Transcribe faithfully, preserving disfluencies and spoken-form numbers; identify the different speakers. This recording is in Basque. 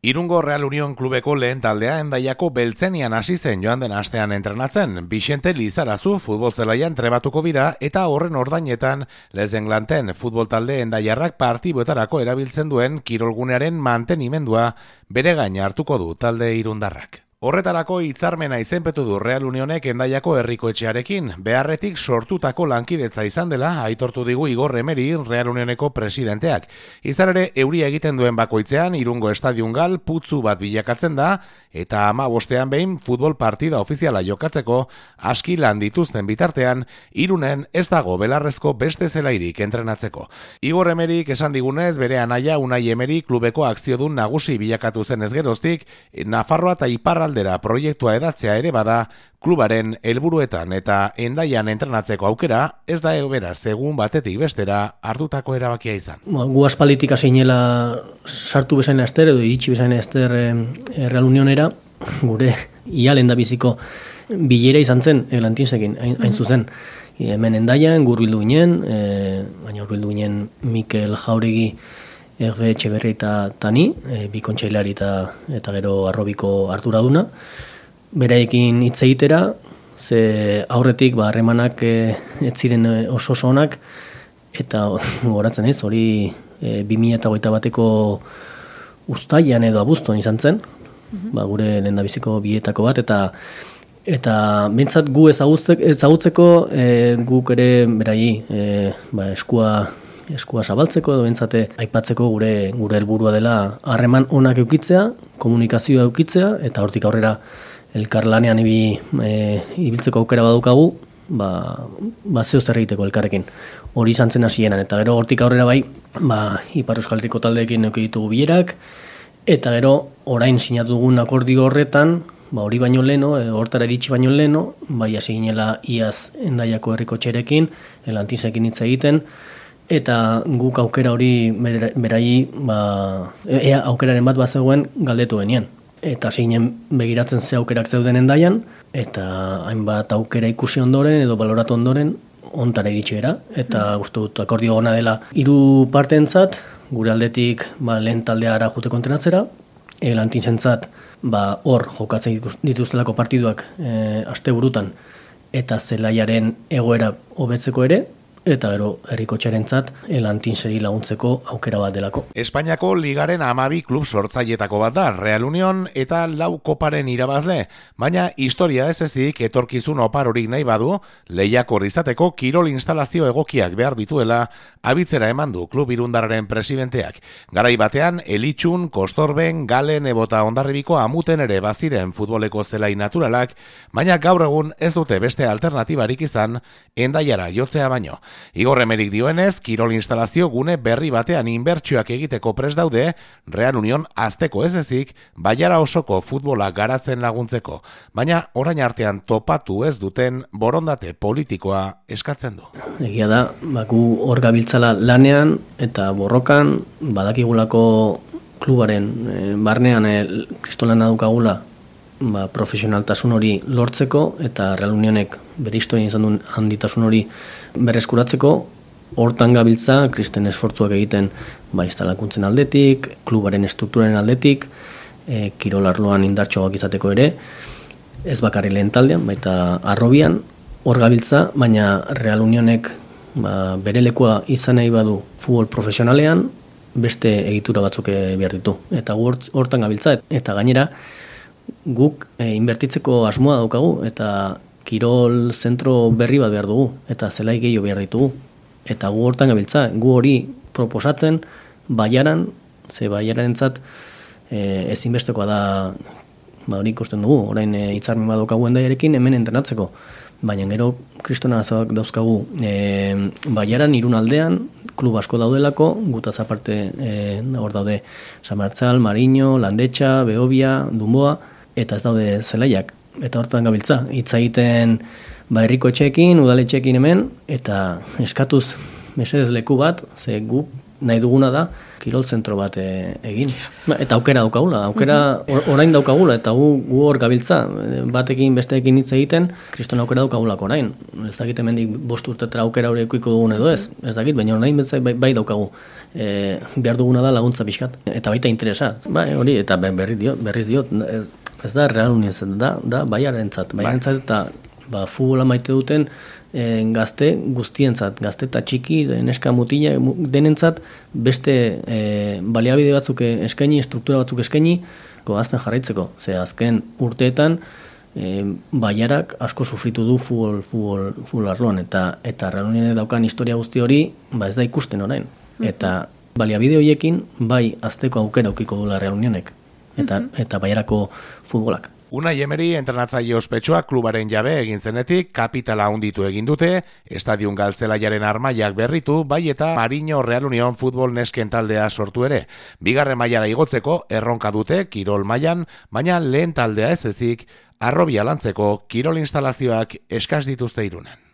Speaker 1: Irungo Real Union klubeko lehen taldea Hendaiako Beltzenian hasi zen joan den astean entrenatzen. Vicente Lizarazu futbol zelaian trebatuko bira eta horren ordainetan Lezenglanten futbol talde Hendaiarrak partiboetarako erabiltzen duen kirolgunearen mantenimendua bere gain hartuko du talde irundarrak. Horretarako hitzarmena izenpetu du Real Unionek Hendaiako herriko etxearekin, beharretik sortutako lankidetza izan dela aitortu digu Igor Emeri Real Unioneko presidenteak. Izan ere, euria egiten duen bakoitzean Irungo estadion gal putzu bat bilakatzen da, eta ama bostean behin futbol partida ofiziala jokatzeko aski lan dituzten bitartean, Irunen ez dago belarrezko beste zelairik entrenatzeko. Igor Emerik esan digunez, bere anaia Unai Emeri klubeko akziodun nagusi bilakatu zen ez geroztik, Nafarroa eta Iparra aldera proiektua edatzea ere bada klubaren helburuetan eta Hendaian entrenatzeko aukera ez da beraz egun batetik bestera hartutako erabakia izan.
Speaker 2: Gu aspalditik hasiinela sartu bezain ester edo iritsi bezain ester e, Real Unionera, gure ia lehendabiziko bilera izan zen Lantinsekin hain, hain zuzen. E, hemen Hendaian gurbildu ginen, e, baina gurbildu ginen Mikel Jauregi, Erbe Etxeberri eta Tani, e, bi kontseilari eta, eta gero Arrobiko Arturaduna. Beraiekin hitz egitera, ze aurretik ba, harremanak e, ez ziren oso oso onak, eta goratzen ez, hori e, bi mila hogeita bateko uztailean edo abuztuan izan zen, mm-hmm. ba, gure lehendabiziko bietako bat, eta eta behintzat gu ezagutzeko e, guk ere berai e, ba, eskua eskua zabaltzeko edo bentsate aipatzeko gure gure helburua dela harreman onak eukitzea, komunikazioa eukitzea eta hortik aurrera elkarlanean ibi, e, ibiltzeko aukera badukagu, ba ba zeo zer egiteko elkarrekin. Hori izan zen hasieran eta gero hortik aurrera bai, ba Ipar Euskal Herriko taldeekin eduki ditugu bilerak eta gero orain sinatu dugun akordio horretan, ba hori baino leno, e, hortara iritsi baino leno, bai hasi ginela iaz Hendaiako herriko etxerekin, Lantinsekin hitz egiten. Eta guk aukera hori berai, ba, ea aukeraren bat bat zegoen galdetu genien. Eta zinen begiratzen ze aukerak zeuden Hendaian, eta hainbat aukera ikusi ondoren edo baloratu ondoren ontara iritsi gara. Eta uste dut akordio ona dela hiru parteentzat, gure aldetik ba, lehen taldea juteko entrenatzera, e, Lantinsentzat ba, hor jokatzen dituztelako partiduak e, asteburutan eta zelaiaren egoera hobetzeko ere, eta gero herrikotxearentzat Lantinseri laguntzeko aukera bat delako.
Speaker 1: Espainiako ligaren hamabi klub sortzailetako bat da, Real Union eta lau koparen irabazle, baina historia ez ezik etorkizun oparorik nahi badu, lehiakor izateko kirol instalazio egokiak behar dituela abitzera eman du klub irundarraren presidenteak. Garai batean, Elitxun, Kostorben, Galen, Ebota Hondarribiko amuten ere baziren futboleko zelai naturalak, baina gaur egun ez dute beste alternatibarik izan Hendaiara jotzea baino. Igor Emerik dioenez, kirol instalazio gune berri batean inbertsioak egiteko prest daude, Real Union azteko ez ezik, Baiara osoko futbola garatzen laguntzeko, baina orain artean topatu ez duten borondate politikoa eskatzen du.
Speaker 2: Egia da, baku hor gabiltzala lanean eta borrokan, badakigulako klubaren e, barnean e, kristolana dukagula ba, profesionaltasun hori lortzeko eta Real Unionek bere historian izan duen handitasun hori berreskuratzeko, hortan gabiltza kristen esfortzuak egiten ba, instalakuntzen aldetik, klubaren estrukturaren aldetik, e, kirolarloan indartxoak izateko ere, ez bakarri lehen taldean, baita Arrobian, hor gabiltza, baina Real Unionek ba, bere lekua izan nahi badu futbol profesionalean, beste egitura batzuk behar ditu. Eta hortan gabiltza, eta gainera, guk e, inbertitzeko asmoa daukagu, eta kirol zentro berri bat behar dugu, eta zelai gehiago behar ditugu. Eta gu hortan gabiltza, gu hori proposatzen, Baiaran, ze Baiarentzat e, ezinbestekoa da, ba hori ikusten dugu, orain e, hitzarmen bat daukagu Hendaiarekin hemen entrenatzeko. Baina gero kristona dauzkagu e, Baiaran, Irun aldean, klub asko daudelako, gutaz aparte e, hor daude San Martzal, Mariño, Landetxa, Beobia, Dunboa, eta ez daude zelaiak. Eta hortan gabiltza, hitz egiten ba herriko etxeekin, udaletxeekin hemen, eta eskatuz mesedez leku bat, ze gu nahi duguna da, kirol zentro bat e, egin. Eta aukera daukagula, aukera or, orain daukagula, eta gu, gu hor gabiltza, batekin besteekin hitz egiten, kriston aukera daukagulako orain. Ez dakit hemendik bost urtetara aukera hori ekuiko dugun edo ez, ez dakit, baina orain betzai bai, bai daukagu. E, behar duguna da laguntza pixkat, eta baita interesa. Bai, hori, eta berri diot, berriz diot, ez, ez da Real Unión, da, da baiarentzat, baiarentzat eta ba, futbola maite duten e, gazte guztientzat, gazte eta txiki, neska mutila denentzat, beste e, baliabide batzuk eskaini, struktura batzuk eskaini, azten jarraitzeko. Ze azken urteetan, e, baiarak asko sufritu du futbol, futbol, futbol arloan, eta, eta Real Unionek daukan historia guzti hori, ba ez da ikusten orain. Eta baliabide horiekin, bai azteko aukera aukiko dula Real Unionek, eta, eta baiarako futbolak.
Speaker 1: Unai Emery entrenatzaile ospetsua klubaren jabe egin zenetik kapitala handitu egin dute, estadion galtzelaiaren armaiak berritu, bai eta Mariño Real Unión futbol nesken taldea sortu ere. Bigarren mailara igotzeko erronka dute kirol mailan, baina lehen taldea ez ezik, Harrobia lantzeko kirol instalazioak eskas dituzte Irunen.